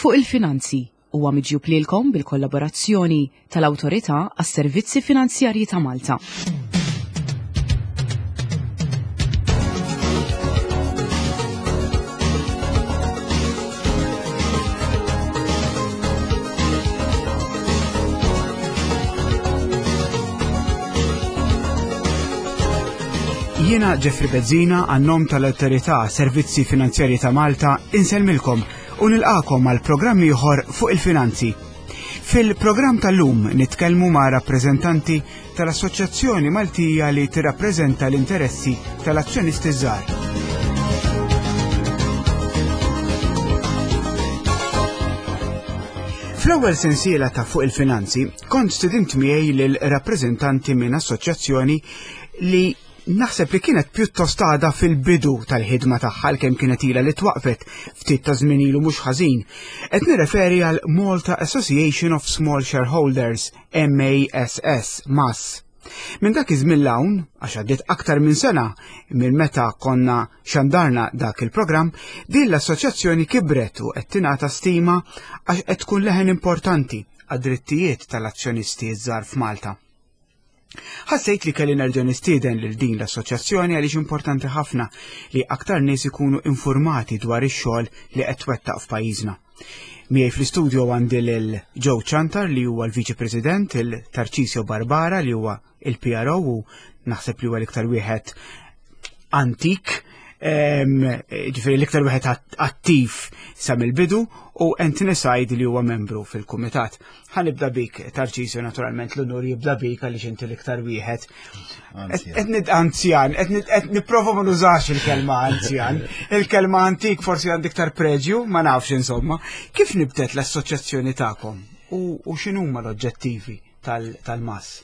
Fuq il-Finanzi huwa miġjub lilkom bil-kollaborazzjoni tal-Awtorità għas-Servizzi Finanzjarji ta' Malta. Jiena Jeffrey Bezzina għan-nom tal-Awtorità Servizzi Finanzjarji ta' Malta insellmilkom u nilqakom għal programm ieħor fuq il-finanzi. Fil-programm tal-lum nitkellmu ma' rappreżentanti tal-Assoċjazzjoni Maltija li tirrappreżenta l-interessi tal-azzjonisti żgħar. Fl-ewwel sensiela ta' fuq il-finanzi kont student miegħi lil rappreżentanti minn assoċjazzjoni li naħseb li kienet pjuttost għada fil-bidu tal-ħidma tagħha kemm kienet ilha li twaqfet ftit ta' żmien ilu mhux ħażin. Qed nirreferi għal Malta Association of Small Shareholders, MASS, MAS. Minn dak iż-żmien l-hawn, għax għaddiet aktar minn sena minn meta konna xandarna dak il-programm, din l-assoċjazzjoni kibret u qed tingħata stima għax qed tkun leħen importanti għad-drittijiet tal-azzjonisti żgħar f'Malta. Ħassejt li kelli nerġa' nistieden lil din l-assoċjazzjoni għaliex importanti ħafna li aktar nies ikunu informati dwar ix-xogħol li qed twettaq f'pajjiżna. Miegħi fl-istudio għandi lil Joe Chantar li huwa l-Viċi President, il Tarcisio Barbara li huwa il-PRO u naħseb li huwa l-iktar wieħed antik, ġifieri l-iktar wieħed attiv sa mill-bidu u Anthony Said li huwa membru fil-kumitat. Ħanibda bik, Tarcisio, naturalment l-unur jibda bik għaliex inti l-iktar wieħed. Qed anzjan, qed nipprova ma nużax il-kelma anzjan. Il-kelma antik forsi għandi iktar preġju, ma nafx insomma. Kif nibdet l-assoċjazzjoni tagħkom u x'inhuma l-oġġettivi tal-mass?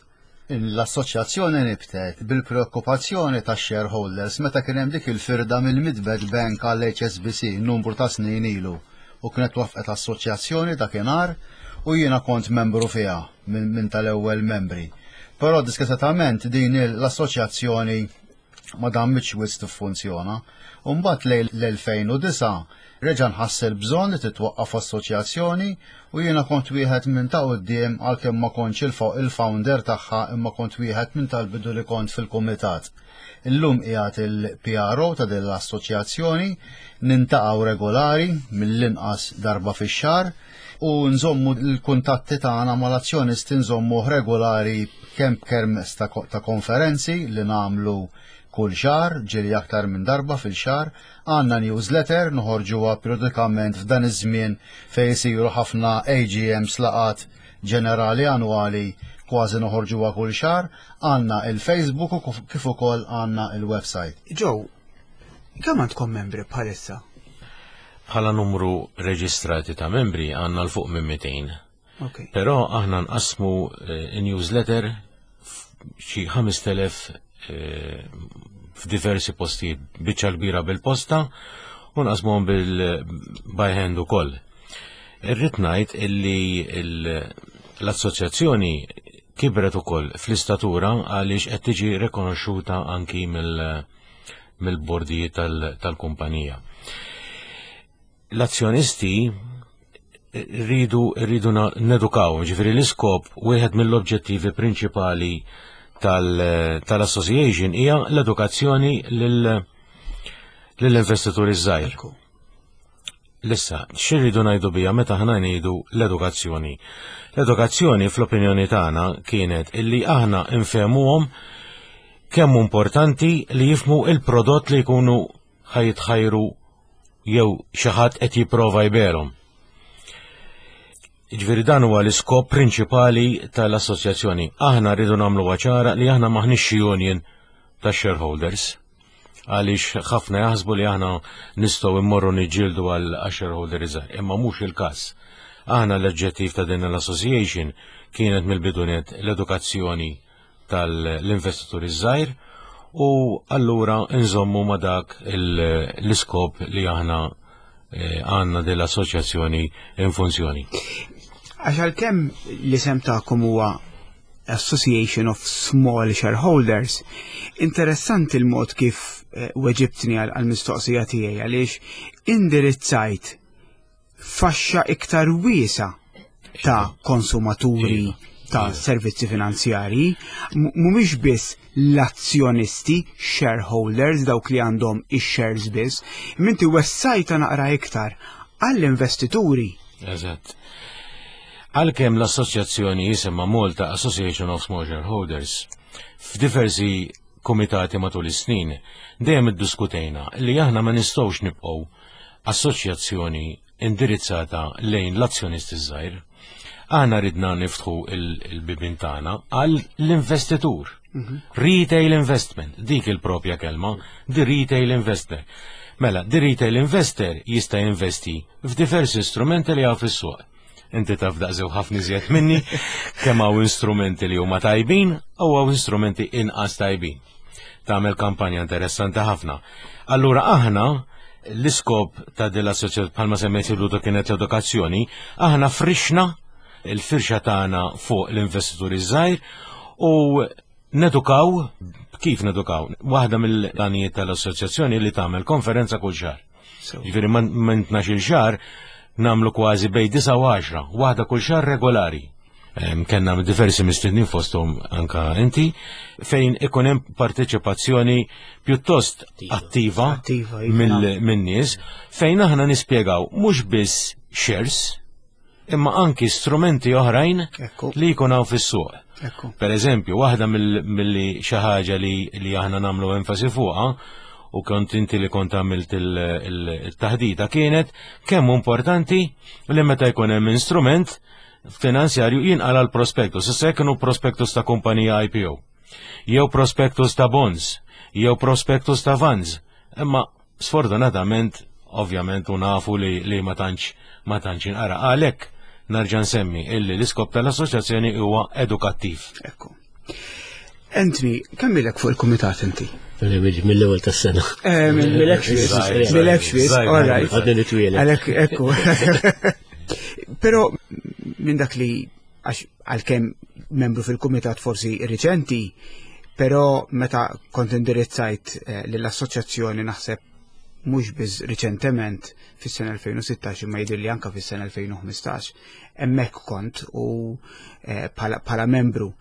L-assoċjazzjoni nibtet bil-preokkupazzjoni tax-shareholders meta kien hemm dik il-firda mill-Midbet Bank għal HSBC numru ta' snin ilu u kienet waffqet assoċjazzjoni dakinhar u jiena kont membru fiha minn tal-ewwel membri. Però diskretament din l-assoċjazzjoni ma dammitx wisq tiffunzjona. U mbagħad lejn l-2009 reġa' nħass il-bżonn li titwaqqaf assoċjazzjoni u jiena kont wieħed minn ta' quddiem għalkemm ma kontx il-founder tagħha imma kont wieħed minn tal-bidu li kont fil-kumitat. Illum qiegħed il-PRO ta' din l-assoċjazzjoni, nintaqgħu regolari mill-inqas darba fix-xahar u nżommu l-kuntatti tagħna mal-azzjonisti nżommuh regolari kemm b'kermess ta' konferenzi li nagħmlu kull xahar, ġieli aktar minn darba fil-xahar, għandna newsletter noħorġuha periodikament f'dan iż-żmien fejn isiru ħafna AGMs laqgħat ġenerali annwali kważi noħorġuha kull xahar, għandna il-Facebook u kif ukoll għandna il-website. Joe, kemm għandkom membri bħalissa? Bħala numru reġistrati ta' membri għandna l fuq minn 200. Okay. Però aħna nqassmu eh, newsletter xi 5000 eh, f'diversi postijiet, biċċa kbira bil-posta u nqasmuhom bil-by hand ukoll. Irrid ngħid illi l-assoċjazzjoni kibret ukoll fl-istatura għaliex qed tiġi rekonoxxuta anki mill-bordijiet tal-kumpanija. L-azzjonisti rridu rridu nedukaw, ġifieri l-iskop wieħed mill-oġġettivi prinċipali tal-association hija l-edukazzjoni lill-investituri żgħir. Lissa, xirridu ngħidu bija meta ħna ngħidu l-edukazzjoni? L-edukazzjoni fl-opinjoni tagħna kienet illi aħna nfehmuhom kemm importanti li jifmu il-prodott li jkunu ħajitħajru jew xi ħadd qed jipprova jberhom. Ġifieri dan huwa l-iskop prinċipali tal-assoċjazzjoni. Aħna rridu nagħmlu ċara li aħna maħniex xi union ta' shareholders għaliex ħafna jaħsbu li aħna nistgħu immorru niġġieldu għal shareholder iżgħar, imma mhux il-każ. Aħna l-oġġettiv ta' din l-association kienet mill-bidunet l-edukazzjoni tal-investituri żgħir u allura nżommu ma' dak l-iskop li aħna eh, għandna din l-assoċjazzjoni in funzjoni. Għax għalkemm l-isem tagħkom huwa Association of Small Shareholders, interessanti l-mod kif eh, weġibtni għal-mistoqsija tiegħi għaliex indirizzajt. faxxa iktar wiesa ta' konsumaturi iva. ta' iva. servizzi finanzjarji, mhumiex biss l-azzjonisti, shareholders, dawk li għandhom ix-shares biss, minti wessajta naqra iktar għall-investituri. Eżatt. Għalkemm l-assoċjazzjoni jisimha Malta Association of Small Shareholders, f'diversi komitati matul is-snin dejjem iddiskutejna li aħna ma nistgħux nibqgħu assoċjazzjoni indirizzata lejn l-azzjonist iż-żgħir. Aħna ridna niftħu il-bibin tagħna għal l-investitur. Mhm. Retail investment, dik il-propja kelma, di retail investor. Mela, di retail investor jista' jinvesti f'diversi strumenti li għaw fis-suq. Inti taf daqsew ħafna iżjed minni kemm hawn instrumenti li huma tajbin u hawn instrumenti inqas tajbin. Tagħmel kampanja interessanti ħafna. Allura aħna l-iskop ta' din l-assoċjazzjoni bħalma semmejt il kienet l-edukazzjoni, aħna frixna il-firxa tagħna fuq l-investituri żgħir u nedukaw kif nedukaw. Waħda mill-għanijiet tal-assoċjazzjoni li tagħmel konferenza kull xahar. Ġifieri minn 12-il xahar nagħmlu kważi bejn 9 u 10, waħda kull xahar regolari. Kenna diversi mistednin fosthom anka inti fejn ikun hemm parteċipazzjoni pjuttost attiva, attiva iva. min-nies fejn aħna nispjegaw mhux biss shares imma anki strumenti oħrajn li jkun hawn fis-suq. Per eżempju, waħda mill-li xi ħaġa li, li aħna nagħmlu enfasi fuqha u kont inti li kont għamilt il-taħdita kienet kemm importanti li meta jkun hemm instrument finanzjarju jinqala l-prospektus. Issa jekk kienu prospektus ta' kumpanija IPO, jew prospektus ta' bonds, jew prospektus ta' funds, imma Sfortunatament, ovvjament u nafu li, li ma tantx ma tantx inqara. Għalhekk narġa' nsemmi illi l-iskop tal-assoċjazzjoni huwa edukattiv. Ekku. Anthony, kemm ilek fuq il-kumitat inti? Mill-ewwel tas-sena. Eh, Mill-ekx mill-ekx all right. Għadni nitwieled. Għalhekk ekku. Però minn dak li għax għalkemm membru fil-kumitat forsi riċenti, però meta kont indirizzajt eh, lill-assoċjazzjoni naħseb mhux biss riċentement fis-sena 2016 imma jidhirli anka fis-sena 2015 hemmhekk kont u eh, bħala membru.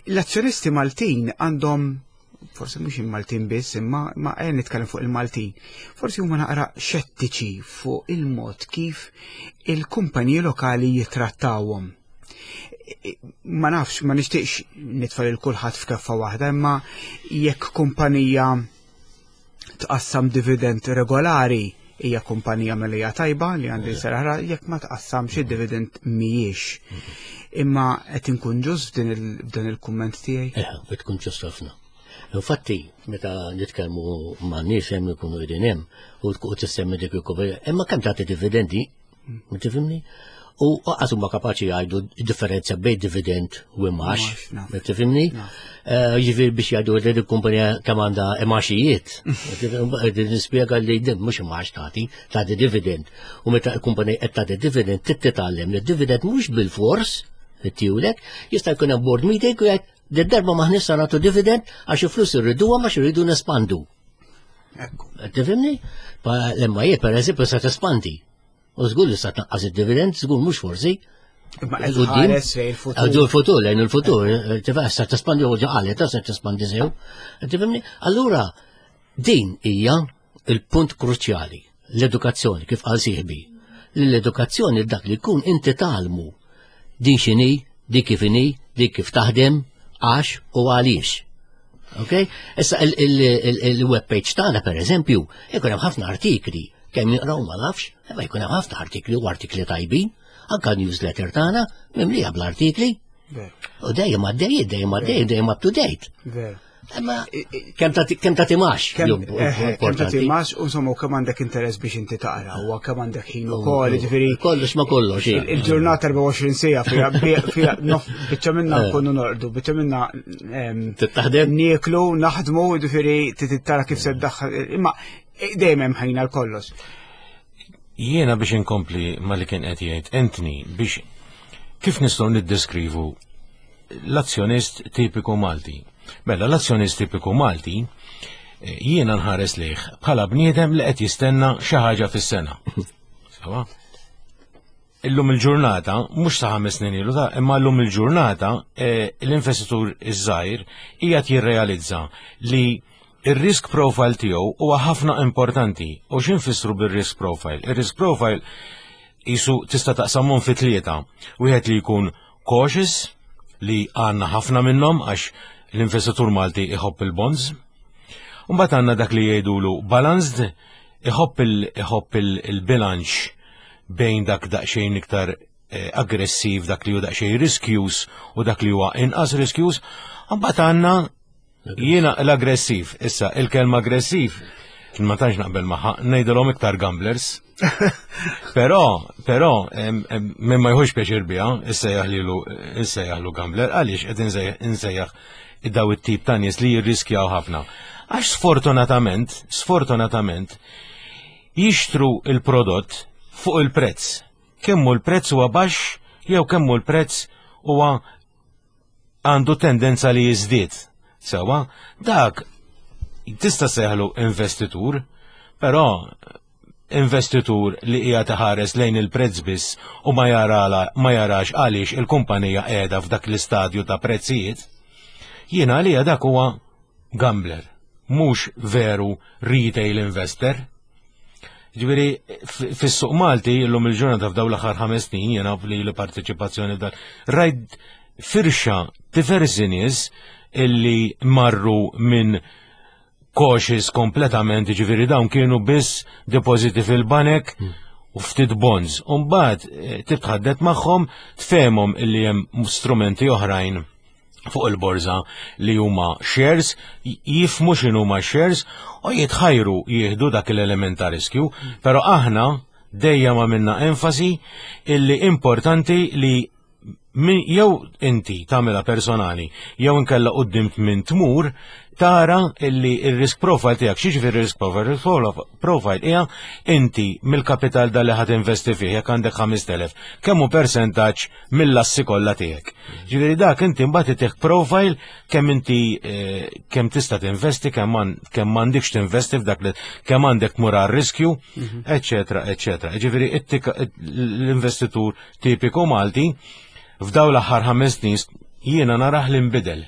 L-azzjonisti Maltin għandhom forsi mhux il-Maltin biss, imma ma ejja nitkellem fuq il-Maltin. Forsi huma naqra xettiċi fuq il-mod kif il-kumpaniji lokali jitrattawhom. Ma nafx, ma nixtieqx nitfal il kulħadd f'keffa waħda, imma jekk kumpanija tqassam dividend regolari hija kumpanija melija tajba li għandi seraħra jekk ma tqassamx id-dividend mhijiex. Imma qed inkun ġust f'dan il-kumment tiegħi? Eh, qed tkun ġust ħafna. Infatti, meta nitkellmu ma' nies hemm ikunu qegħdin hemm u tissemmi dik il-kumpanija, imma kemm tagħti dividendi Ma tifhimni? U għas huma kapaċi jgħidu differenza bejn dividend u imax. Ma tifhimni? Eh, jiġifieri biex jgħidu li l-kumpanija kemm għandha imaxijiet. Nispjega li din mhux imax tagħti, tagħti dividend. U meta l-kumpanija qed tagħti dividend trid titgħallem li dividend mhux bil-fors tiwlek, jista' jkun hemm board meeting u jgħid darba maħnis sa nagħtu dividend għax il-flus irriduha ma irridu nespandu. Tifhimni? Lemma jie per eżempju sa tespandi. U żgur li sa tnaqqas id-dividend, żgur mhux forsi. Għadu l-futur, lejn il-futur, tifhem sa tespandi u ġaqalet, sa tespandi sew. Tifhimni? Allura, din hija il-punt kruċjali, l-edukazzjoni, kif qal sieħbi. L-edukazzjoni dak li jkun inti talmu din x'inhi, dik kif inhi, dik kif taħdem, għax u għaliex. Ok? Issa il-web page tagħna per eżempju, ikun hemm ħafna artikli, kemm jinqraw ma nafx, imma jkun hemm ħafna artikli u artikli tajbin, anka newsletter tagħna mimlija bl-artikli. U dejjem għaddej, dejjem għaddej, dejjem up to date. Imma kemm ta' timax. Kemm eh, ta' timax, u insomma, kemm għandek interess biex inti taqra, u kemm għandek ħin ukoll, ġifieri. Kollox ma kollox. Il-ġurnata 24 sija fija fija nof biċċa minna eh. nkunu norqdu, biċċa minna Taħdem? Nieklu, naħdmu, ġifieri tara kif se ddaħħal, imma eh, dejjem hemm ħin għal kollox. Jiena biex inkompli ma li kien qed jgħid Anthony biex kif nistgħu niddeskrivu l-azzjonist tipiku Malti. Mela l-azzjonist tipiku Malti eh, jiena nħares lejh bħala bniedem li qed jistenna xi ħaġa fis-sena. Sawa? Illum il-ġurnata, mhux sa 5 snin ilu ta' imma llum il-ġurnata l-investitur iż-żgħir qiegħed jirrealizza li ir-risk profile tiegħu huwa ħafna importanti. U x'infissru bir-risk profile? Ir-risk profile jisu tista' taqsamhom fi tlieta. Wieħed li jkun cautious, li għandna ħafna minnhom għax l-investitur Malti iħobb il-bonds. Mbagħad għandna dak li jgħidulu balanced, iħobb il-bilanċ bejn dak daqsxejn iktar aggressiv, dak li hu daqsxejn riskjus u dak li huwa inqas riskjus. Mbagħad għandna jiena l-aggressiv. Issa, il-kelma aggressiv, ma tantx naqbel magħha, ngħidilhom iktar gamblers. Però, minn ma jħux pjaċir biha, issejjaħlu gambler, għaliex qed insejjaħ daw it-tip ta' nies li jirriskjaw ħafna? Għax sfortunatament, jixtru il-prodott fuq il-prezz. Kemmu l-prezz huwa baxx jew kemmu l-prezz huwa għandu tendenza li jiżdied. Sewa, dak tista' seħlu investitur, però investitur li qiegħed iħares lejn il-prezz biss u ma jarax għaliex il-kumpanija qiegħda f'dak l-istadju ta' prezzijiet, jiena għalija dak huwa gambler, mhux veru retail investor. Ġifieri, fis-suq Malti, illum il-ġurnata, f'daw l-aħħar 5 snin, jena li l-parteċipazzjoni dan, rajt firxa diversi nies illi marru minn cautious kompletament, ġifieri dawn kienu biss depositi fil-banek u ftit bonds. Umbagħad titħaddet magħhom, tfehmhom illi hemm strumenti oħrajn fuq il-borża li huma shares, jifhmu x'inhuma shares u jitħajru jieħdu dak l-element ta' riskju, però aħna dejjem għamilna enfasi illi importanti li min jew inti tagħmilha personali jew inkella quddiem minn tmur tara illi il-risk profile tiegħek. X'jiġifieri risk profile? Risk profile hija inti mill-kapital dal li ħadd investi fih, jekk għandek 5000, kemm hu percentaġġ mill-assi kollha tiegħek. Ġifieri dak inti mbagħad itih profile kemm inti kemm tista' tinvesti, kemm m'għandekx tinvesti f'dak li kemm għandek tmur għar-riskju, eċetera, eċetera. Ġifieri l-investitur tipiku Malti f'daw l-aħħar 5 snin jiena narah li nbidel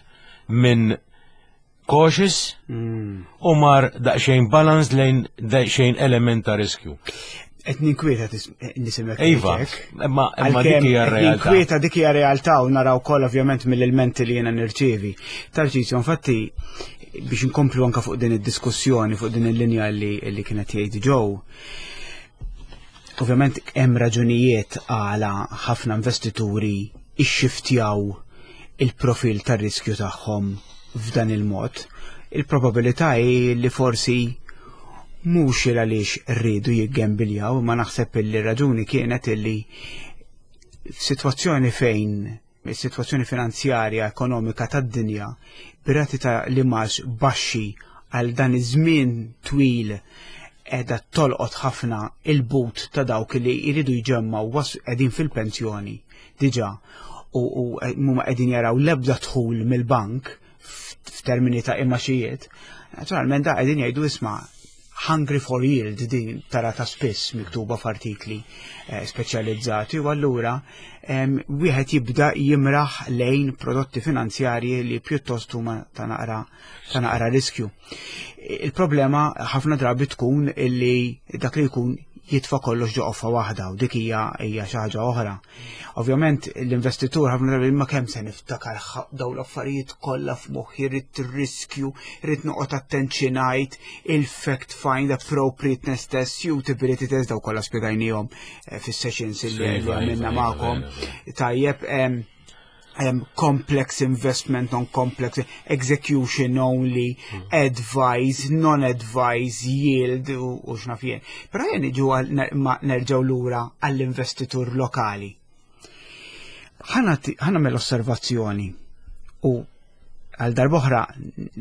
minn cautious u mar daqsxejn balance lejn daqsxejn element ta' riskju. Qed ninkwieta nisimek. Iva, imma dik hija realtà. Ninkwieta, dik hija realtà u naraw ukoll ovvjament mill-elementi li jiena nirċievi. Tarċisio, infatti, biex inkomplu anka fuq din id-diskussjoni, fuq din il-linja li kienet jgħid Joe, ovvjament hemm raġunijiet għala ħafna investituri ixxiftjaw il-profil tar-riskju tagħhom f'dan il-mod. Il-probabilità hi li forsi mhux il għaliex rridu jiggembiljaw, ma naħseb li raġuni kienet illi f'sitwazzjoni fejn is-sitwazzjoni finanzjarja ekonomika tad-dinja b'rati ta' l-imgħax baxxi għal dan iż-żmien twil qiegħda tolqot ħafna il-but ta' dawk li jridu jġemmaw, qegħdin fil-pensjoni diġà u mhuma qegħdin jaraw l-ebda dħul mill-bank f'termini ta' imgħaxijiet. Naturalment da qegħdin jgħidu, "Isma', hungry for yield", din tara ta' spiss miktuba f'artikli speċjalizzati, u allura wieħed jibda jimraħ lejn prodotti finanzjarji li pjuttost huma ta' naqra riskju. Il-problema ħafna drabi tkun illi dak li jkun jitfa' kollox ġo qoffa waħda u dik hija xi ħaġa oħra. Ovvjament l-investitur ħafna drabi, ma kemm se niftakar daw l-affarijiet kollha f'moħħi, rrid riskju, rrid noqgħod attenzjonajt, il-fact find, appropriateness test, suitability test, daw kollha spjegajnihom fis-sessions li għamilna magħkom. Tajjeb, complex investment, non-complex, execution only, advice, non-advice, yield u x'naf jien. Però jien niġu ma nerġgħu lura għall-investitur lokali. Ħa nagħmel osservazzjoni u għal darb'oħra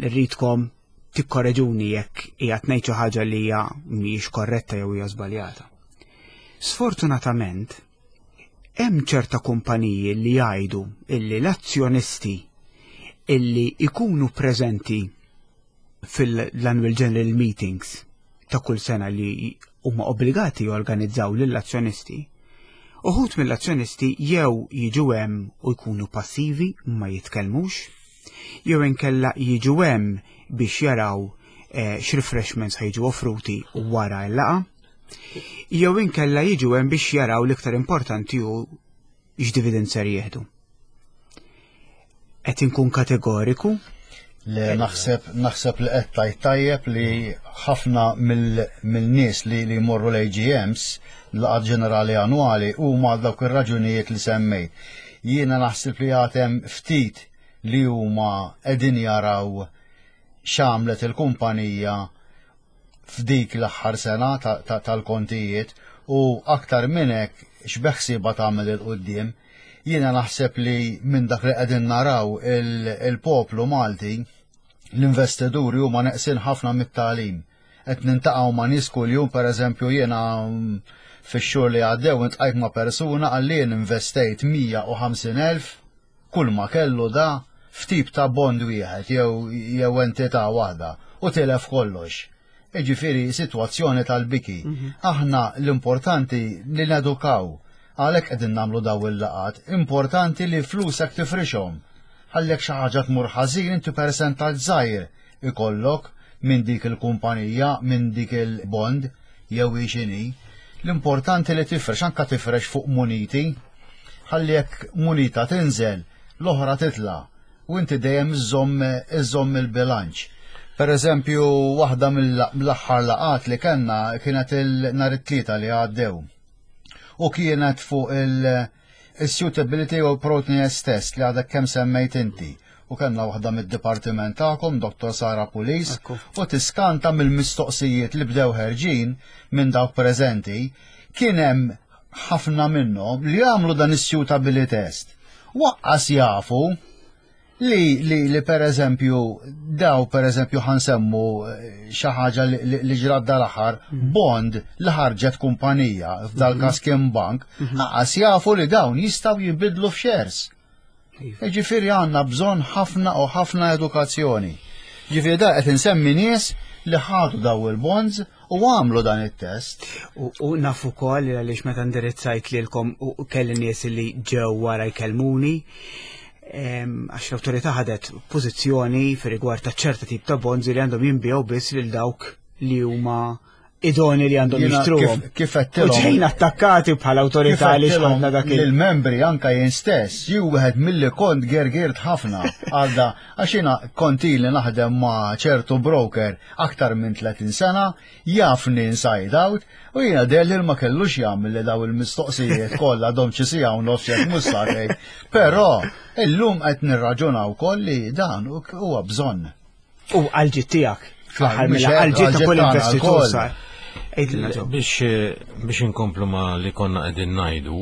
rridkom tikkoreġuni jekk qiegħed ngħid xi ħaġa li hija mhijiex korretta jew hija żbaljata. Sfortunatament, hemm ċerta kumpaniji li jgħidu illi l-azzjonisti illi ikunu preżenti fil-annual general meetings ta' kull sena li huma obbligati jorganizzaw lill-azzjonisti. Uħud mill-azzjonisti jew jiġu hemm u jkunu passivi ma jitkellmux, jew inkella jiġu hemm biex jaraw eh, x'refreshments ħajġu offruti wara l-laqa, jew inkella jiġu hemm biex jaraw l-iktar importanti hu x'dividend ser jieħdu. Qed inkun kategoriku? Le naħseb naħseb li qed tajt tajjeb li ħafna mill-nies li li jmorru l-AGMs laqgħat ġenerali annwali huma għal dawk ir-raġunijiet li semmejt. Jiena naħseb li għatem ftit li huma qegħdin jaraw x'għamlet il-kumpanija f'dik l-aħħar sena tal-kontijiet u aktar minn hekk x'beħsiebha tagħmel 'il quddiem. Jiena naħseb li minn dak li qegħdin naraw il-poplu Malti, l-investituri huma neqsin ħafna mit-tagħlim. Qed nintaqgħu ma' nies kuljum, pereżempju jiena mm, fix-xhur li għaddew intqajt ma' persuna qalli jien investejt 150,000 kull ma kellu da f'tip ta' bond wieħed jew jew entità waħda u tilef kollox. Jiġifieri sitwazzjoni tal-biki. Mhm. Aħna l-importanti li nedukaw għalhekk qegħdin nagħmlu daw il-laqat, importanti li flusek tifrixhom. Ħallek xi ħaġa tmur ħażin inti persentaġġ żgħir ikollok minn dik il-kumpanija, minn dik il-bond jew hi x'inhi. L-importanti li tifrex, anka tifrex fuq muniti, ħalli jekk munita tinżel, l-oħra titla' u inti dejjem iżżomm il-bilanċ. Per eżempju, waħda mill-aħħar laqat li kellna kienet il-nhar it-tlieta li għaddew. U kienet fuq il- Is-suitability u protiness test li għadek kemm semmejt inti u kellna waħda mid-dipartiment tagħkom, Dr. Sara Pulis, u tiskanta mill-mistoqsijiet li bdew ħerġin minn dawk preżenti, kien hemm ħafna minnhom li għamlu dan is-suitability test. Waqqas jafu Li, li, li per eżempju, daw per eżempju ħansemmu eh, xi ħaġa li, li ġrat dal-aħħar, mhm. bond li ħarġet kumpanija, f'dal mhm. każ kien bank, mhm. aqas jafu li dawn jistgħu jinbidlu f'shares. Iva. Ġifieri għandna bżonn ħafna u ħafna edukazzjoni. Ġifieri da qed insemmi nies li ħadu daw il-bonds u għamlu dan it-test. U naf ukoll għaliex meta ndirizzajt lilkom u kelli nies li ġew wara jkellmuni, għax l-awtorità ħadet pożizzjoni fi rigward ta' ċerta tip ta' bonds li għandhom jinbiegħu biss lil dawk li huma idoni li għandhom jixtruhom. Kif qed ġejna attakkati bħala awtorità li xħadna dak il-membri anka jien stess, ju wieħed milli kont gergirt ħafna għalda għax jiena kont ili naħdem ma' ċertu broker aktar minn 30 sena, jafni inside out, U jiena deher ma kellux jagħmel li daw il-mistoqsijiet kollha dom xi siegħa u nofs jekk mhux sagħtejn. Però illum qed nirraġunaw wkoll li dan huwa bżonn. U għal-ġid tiegħek fl-aħħar mill-għal-ġid ta' kull investitur sar. Biex biex inkomplu ma li konna qegħdin ngħidu,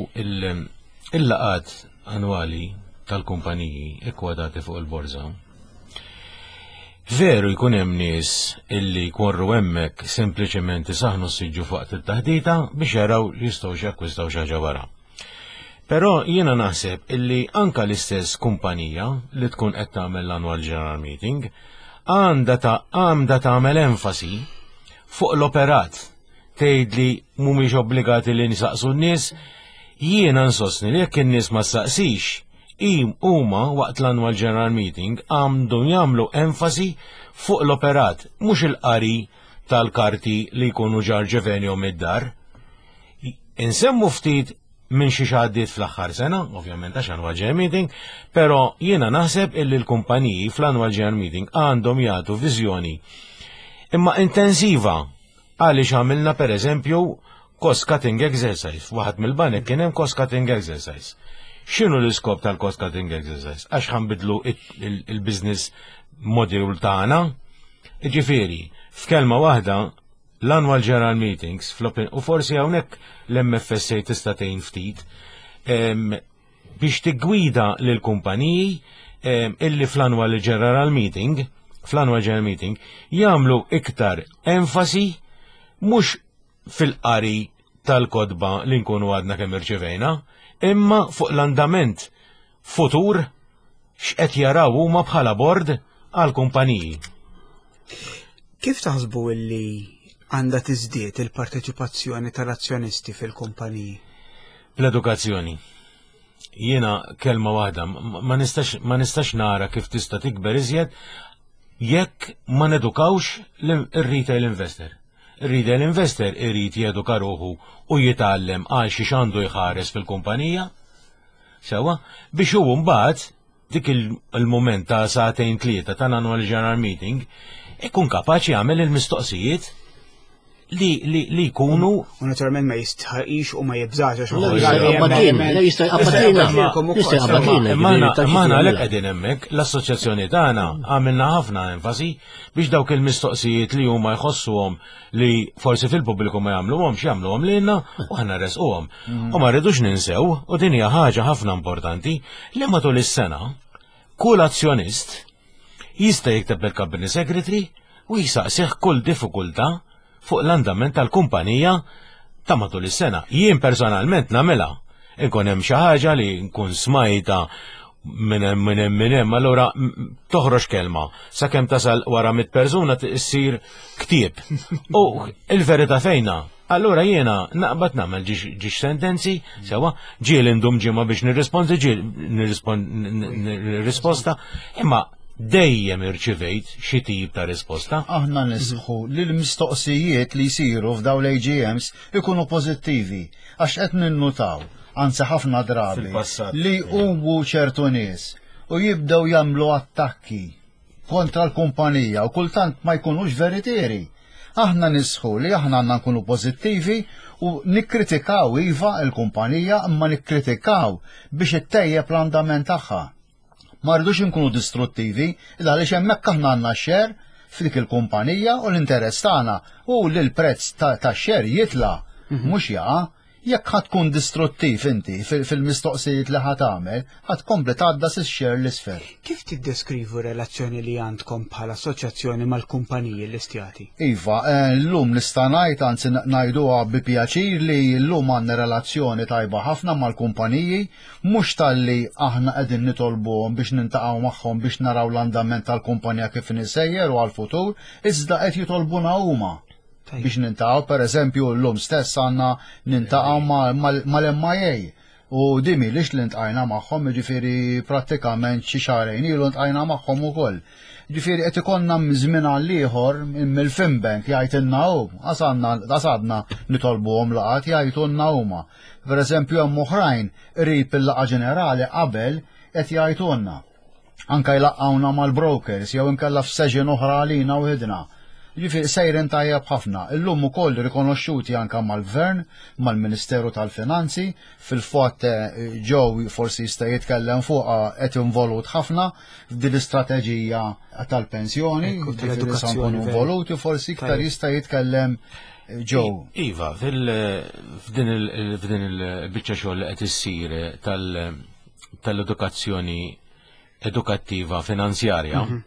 il-laqat annwali tal-kumpaniji ikkwadati fuq il-borża Veru jkun hemm nies illi jkorru hemmhekk sempliċement isaħnu s-siġġu fuq it-taħdita biex jaraw li jistgħu jakkwistaw xi ħaġa wara. Però jiena naħseb illi anka l-istess kumpanija li tkun qed tagħmel l-annual general meeting għandha ta' għandha tagħmel enfasi fuq l-operat tgħid li mhumiex obbligati li nisaqsu n-nies, jiena nsostni li jekk in-nies ma saqsix, huma waqt l-annual general meeting għandhom jagħmlu enfasi fuq l-operat, mhux il-qari tal-karti li jkunu ġar ġevenjom id-dar. Insemmu ftit minn xi għaddiet fl-aħħar sena, ovvjament għax annual general meeting, però jiena naħseb illi l-kumpaniji fl-annual general meeting għandhom jagħtu viżjoni imma intensiva Għaliex għamilna per eżempju cost cutting exercise, waħed mill-banek kien hemm cost cutting exercise. X'inhu l-iskop tal-cost cutting exercise? Għax ħanbidlu il-business model tagħna. Ġifieri, f'kelma waħda l-annual general meetings u forsi hawnhekk l-MFSA tista' tgħin ftit biex tiggwida lil kumpaniji illi fl-annual general meeting fl-annual general meeting jagħmlu iktar enfasi mhux fil-qari tal-kodba li nkunu għadna kemm irċevejna, imma fuq l-andament futur x'qed jaraw huma bħala bord għal kumpaniji. Kif taħsbu illi għandha tiżdied il-parteċipazzjoni tal-azzjonisti fil-kumpaniji? L-edukazzjoni. Jiena kelma waħda, ma nistax ma nistax nara kif tista' tikber iżjed jekk ma nedukawx ir-retail investor. Ir-retail investor irid jeduka ruħu u jitgħallem għal xi għandu jħares fil-kumpanija. Sewa, biex hu mbagħad dik il-moment ta' sagħtejn tlieta tal-annual general meeting ikun kapaċi jagħmel il-mistoqsijiet li, li, li jkunu. U naturalment ma jistħaqix u ma jibżax għax jista' jqabbatina. Maħna għalhekk qegħdin hemmhekk l-assoċjazzjoni tagħna għamilna ħafna enfasi biex dawk il-mistoqsijiet li huma jħossuhom li forsi fil-pubbliku ma jagħmluhomx jagħmluhom lilna u aħna resquhom. U ma rridux ninsew u din hija ħaġa ħafna importanti li matul is-sena kull azzjonist jista' jikteb lill-Company Secretary u jisaqsih kull diffikultà fuq l-andament tal-kumpanija ta' matul is-sena. Jien personalment nagħmilha. Inkun hemm xi ħaġa li nkun smajta minn hemm minn hemm minn hemm, allura toħroġ kelma sakemm tasal wara mit persuna issir ktieb. U il-verità fejna, allura jiena naqbad nagħmel ġiex sentenzi, sewa, ġiel indum ġimgħa biex nirrispondi, ġiel nirrisposta, imma dejjem irċivejt xi tip ta' risposta. Aħna nisħu li l-mistoqsijiet li jsiru f'daw l-AGMs ikunu pożittivi għax qed ninnutaw, anzi ħafna drabi, li huwu ċertu nies u jibdew jagħmlu attakki kontra l-kumpanija u kultant ma jkunux veritieri. Aħna nisħu li aħna għandna nkunu pożittivi u nikkritikaw iva l-kumpanija imma nikkritikaw biex ittejjeb l-andament tagħha. Ma rridux inkunu distruttivi, għaliex hemmhekk aħna għandna share f'dik il-kumpanija u l-interess tagħna u li l-prezz ta' share jitla' mhux jaqa'. Jekk ħa tkun distruttiv inti fil-mistoqsijiet li ħa tagħmel, ħa tkompli tgħaddas ix-share l-isfel. Kif tiddeskrivu r-relazzjoni li għandkom bħala assoċjazzjoni mal-kumpaniji llistjati? Iva, llum nista' ngħid, anzi ngħiduha bi pjaċir li llum għandna relazzjoni tajba ħafna mal-kumpaniji, Mhux talli aħna qegħdin nitolbuhom biex nintaqgħu magħhom biex naraw l-andament tal-kumpanija kif inhi sejjer u għall-futur, iżda qed jitolbuna huma biex nintaqgħu. Pereżempju, llum stess għandna nintaqgħu mal-MIA u din m'ilhiex li ntqajna magħhom, jiġifieri prattikament xi xahrejn ilu ntqajna magħhom ukoll. Ġifieri qed ikollna minn żmien għal ieħor mill-Finbank jgħidilna hu, għasadna nitolbuhom laqgħat jgħidulna huma. Pereżempju hemm oħrajn qrib il-laqgħa ġenerali qabel qed jgħidulna. Anka jlaqqgħuna mal-brokers jew inkella f'session oħra għalina waħidna. Ġifieri sejrin tajjeb ħafna. Illum ukoll rikonoxxuti anka mal-Gvern, mal-Ministeru tal-Finanzi, fil-fatt Joe forsi jista' jitkellem fuqha qed involut ħafna f'din l-istrateġija tal-pensjoni, ġifieri sa nkunu involuti forsi iktar jista' jitkellem Joe. Iva, f'din il-biċċa xogħol li qed issir tal-edukazzjoni edukattiva finanzjarja, mhm.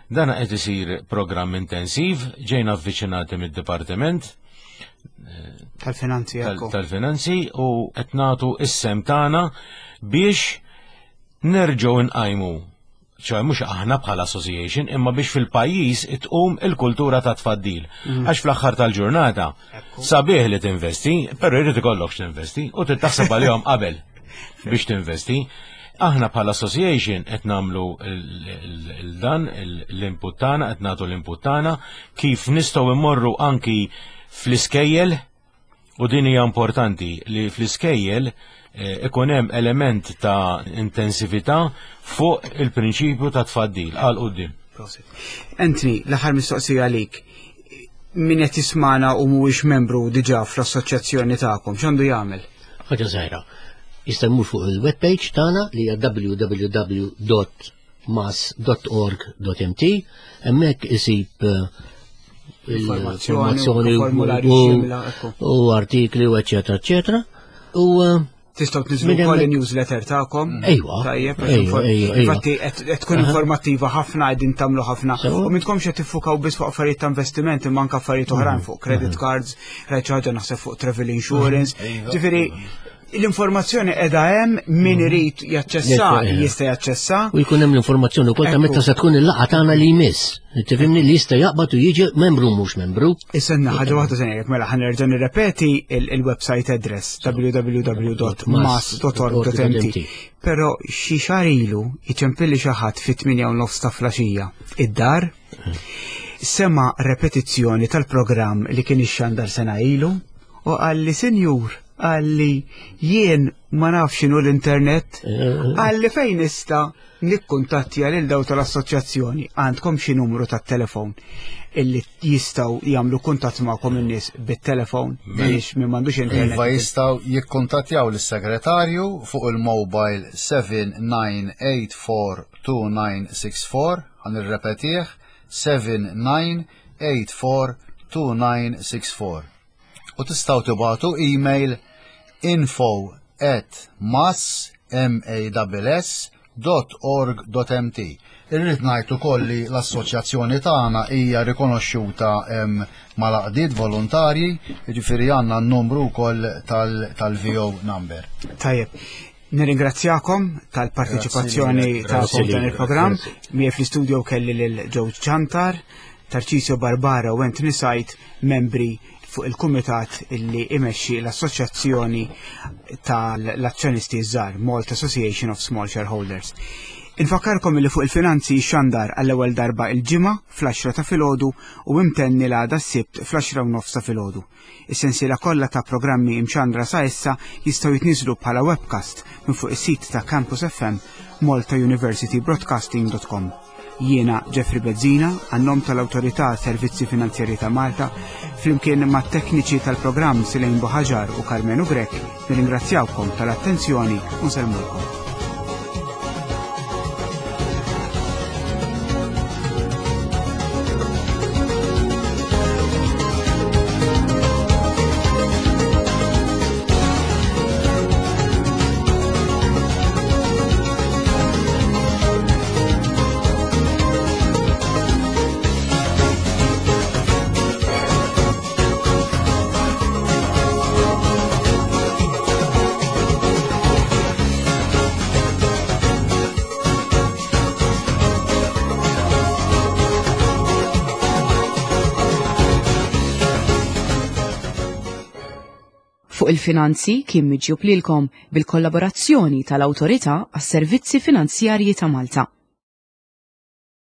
dan qed isir programm intensiv, ġejna avviċinati mid-Dipartiment eh, tal-Finanzi tal-Finanzi u qed nagħtu is-sem tagħna biex nerġgħu nqajmu ċoħe mux aħna bħala association, imma biex fil-pajjiż itqum il-kultura ta' tfaddil. Mhm. Għax fl-aħħar tal-ġurnata, sabiħ li tinvesti, pero jrid ikollok x'tinvesti u trid taħseb għalihom qabel biex tinvesti. Aħna bħala association qed nagħmlu dan l-input tagħna, qed nagħtu l-input tagħna kif nistgħu immorru anki fl-iskejjel u din hija importanti li fl-iskejjel eh, ikun hemm element ta' intensività fuq il-prinċipju ta' tfaddil għal quddiem. Anthony, l-aħħar mistoqsija għalik. Min qed jismana u mhuwiex membru diġà fl-assoċjazzjoni tagħkom, x'għandu jagħmel? Ħaġa żgħira. Jista' jmur fuq il-webpage tagħna li hija www.mas.org.mt hemmhekk isib eh, informazzjoni u artikli u eċetera eċetera. U eh, Tistgħu tniżlu wkoll il-newsletter tagħkom. Ejwa. Tajjeb, infatti qed tkun informattiva ħafna qegħdin tagħmlu ħafna. U mintkomx qed tiffukaw biss fuq affarijiet ta' investiment imma anke affarijiet oħrajn fuq credit cards, rajt ħaġa naħseb fuq travel insurance. Ġifieri. L-informazzjoni qiegħda hemm min mhm. irid jaċċessa jista' jaċċessa. U jkun hemm l-informazzjoni wkoll ta' meta se tkun il-laqgħa tagħna li jmiss. Tifhimni li jista' jaqbad u jiġi membru mhux membru. Issa ħaġa waħda se ngħidlek mela ħa nerġa' nirrepeti il-website address www.mas.org.mt. Però xi xahar ilu iċempilli xi ħadd fit-8 u nofs ta' flaxija id-dar sema repetizzjoni tal-programm li kien ixxandar sena ilu u qalli sinjur qalli jien ma nafx x'inhu l-internet qalli fejn nista' nikkuntattja lil daw tal-assoċjazzjoni għandkom xi numru tat-telefon illi jistgħu jagħmlu kuntatt magħkom in-nies bit-telefon biex min m'għandux internet. Iva jistgħu jikkuntattjaw lis-segretarju fuq il-mobile 79842964 ħa nirrepetih 79842964. U tistgħu tibagħtu email info at mass m-a-s-s dot org dot mt. Irrid ngħid ukoll li l-assoċjazzjoni tagħna hija rikonoxxuta mal-għaqdiet volontarji, jiġifieri għandna n-numru wkoll tal-VO number. Tajjeb. Nirringrazzjakom tal-parteċipazzjoni tagħkom f'dan il-programm. Miegħi fl-istudio kelli lil Joe Ċantar, Tarcisio Barbara u Anthony Sajt, membri fuq il-kumitat illi imexxi l-Assoċjazzjoni tal-Azzjonisti Żgħar, Malta Association of Small Shareholders. Infakkarkom li fuq il-finanzi xandar għall-ewwel darba il-ġimgħa fl-10 ta' filgħodu u imtenni l-għada s-Sibt fl-10 u nofs ta' filgħodu. Is-sensiela kollha ta' programmi imxandra sa issa jistgħu jitniżlu bħala webcast minn fuq is-sit ta' Campus FM maltauniversitybroadcasting.com. Jiena Jeffrey Bezzina, għan-nom tal-Awtorità Servizzi Finanzjarji ta' Malta, flimkien mat tekniċi tal-programm Silejn Buħaġar u Karmenu Grech, nirringrazzjawkom tal-attenzjoni u nsellmulkom. Fuq il-finanzi kien miġjub lilkom bil-kollaborazzjoni tal-Awtorità għas-Servizzi Finanzjarji ta' Malta.